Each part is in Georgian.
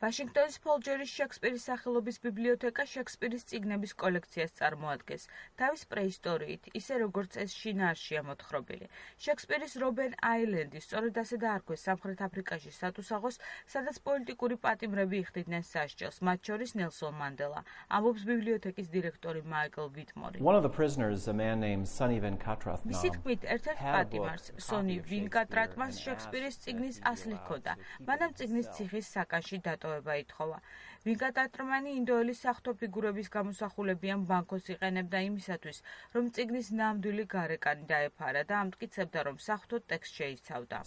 ვაშინგტონის ფოლჯერის შექსპირის სახელობის ბიბლიოთეკა შექსპირის წიგნების კოლექციას წარმოადგენს, თავის პრეისტორიით, ისე როგორც ეს შინაარსია მოთხრობილი. შექსპირის რობენ აილენდი სწორედ ასე დაარქვეს სამხრეთ აფრიკაში სატუსაღოს, სადაც პოლიტიკური პატიმრები იხდიდნენ სასჯელს, მათ შორის ნელსონ მანდელა, ამბობს ბიბლიოთეკის დირექტორი მაიკლ ვიტმორი. მისი თქმით, ერთ-ერთ პატიმარს, სონი ვინკატრატმას შექსპირის წიგნის ასლი ჰქონდა, მანამ წიგნის ციხის საკანში დატოვება ითხოვა. ვინკატრატმანი ინდოელი საღვთო ფიგურების გამოსახულებიან ბანკოს იყენებდა იმისათვის, რომ წიგნის ნამდვილი გარეკანი დაეფარა და ამტკიცებდა, რომ საღვთო ტექსტ შეიცავდა.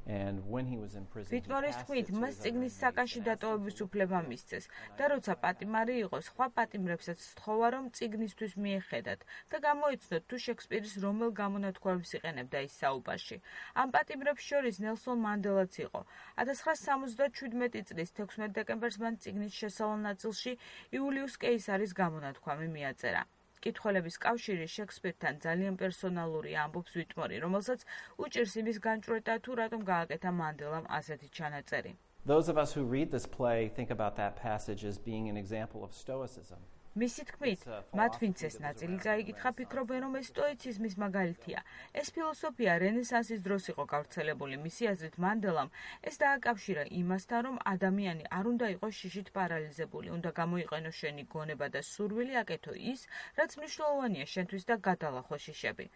ვიტმორის თქმით, მას წიგნის საკანში დატოვების უფლება მისცეს და როცა პატიმარი იყო, სხვა პატიმრებსაც სთხოვა, რომ წიგნისთვის მიეხედათ და გამოიცნოთ, თუ შექსპირის რომელ გამონათქვამებს იყენებდა ის საუბარში. ამ პატიმრებს შორის ნელსონ მანდელაც იყო. 1977 წლის 16 დეკემბერს მან წიგნის შესავალ ნაწილში იულიუს კეისარის გამონათქვამი მიაწერა. კითხველების კავშირი შექსპირთან ძალიან პერსონალურია, ამბობს ვიტმორი, რომელსაც უჭირს იმის განჭვრეტა, თუ რატომ გააკეთა მანდელამ ასეთი ჩანაწერი. Those of us who read this play think about that passage as being an example of stoicism. მისი თქმით, მათ ვინც ეს ნაწილი წაიკითხა, ფიქრობენ, რომ ეს სტოიციზმის მაგალითია. ეს ფილოსოფია რენესანსის დროს იყო გავრცელებული. მისი აზრით, მანდელამ ეს დააკავშირა იმასთან, რომ ადამიანი არ უნდა იყოს შიშით პარალიზებული, უნდა გამოიყენოს შენი გონება და სურვილი, აკეთო ის, რაც მნიშვნელოვანია შენთვის და გადალახო შიშები.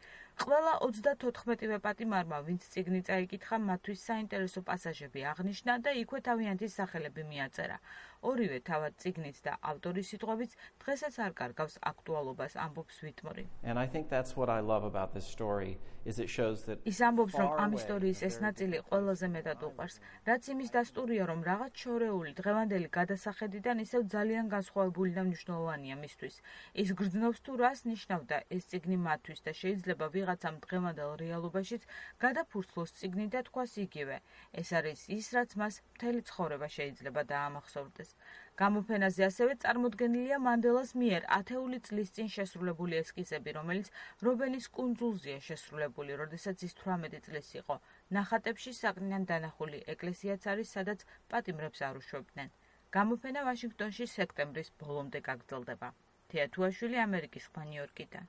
ყველა 34-ვე პატიმარმა, ვინც წიგნი წაიკითხა, მათთვის საინტერესო პასაჟები აღნიშნა და იქვე თავიანთი სახელები მიაწერა. ორივე თავად წიგნით და ავტორის სიტყვებით დღესაც არ კარგავს აქტუალობას, ამბობს ვიტმორი. ის ამბობს, რომ ამ ისტორიის ეს ნაწილი ყველაზე მეტად უყვარს, რაც იმის დასტურია, რომ რაღაც შორეული დღევანდელი გადასახედიდან ისევ ძალიან განსხვავებული და მნიშვნელოვანია მისთვის. ის გრძნობს თუ რას ნიშნავდა ეს წიგნი მათთვის და შეიძლება ვიღაცამ დღევანდელ რეალობაშიც გადაფურცლოს წიგნი და თქვას იგივე. ეს არის ის, რაც მას მთელი ცხოვრება შეიძლება დაამახსოვრდეს. გამოფენაზე ასევე წარმოდგენილია მანდელას მიერ 10 წლის წინ შესრულებული ესკიზები, რომელიც რობენის კუნძულზეა შესრულებული, როდესაც ის 18 წლის იყო. ნახატებში საკნიდან დანახული ეკლესიაც არის, სადაც პატიმრებს არ უშვებდნენ. გამოფენა ვაშინგტონში სექტემბრის ბოლომდე გაგრძელდება. თეა თუაშვილი, ამერიკის ხმა, ნიუ-იორკიდან.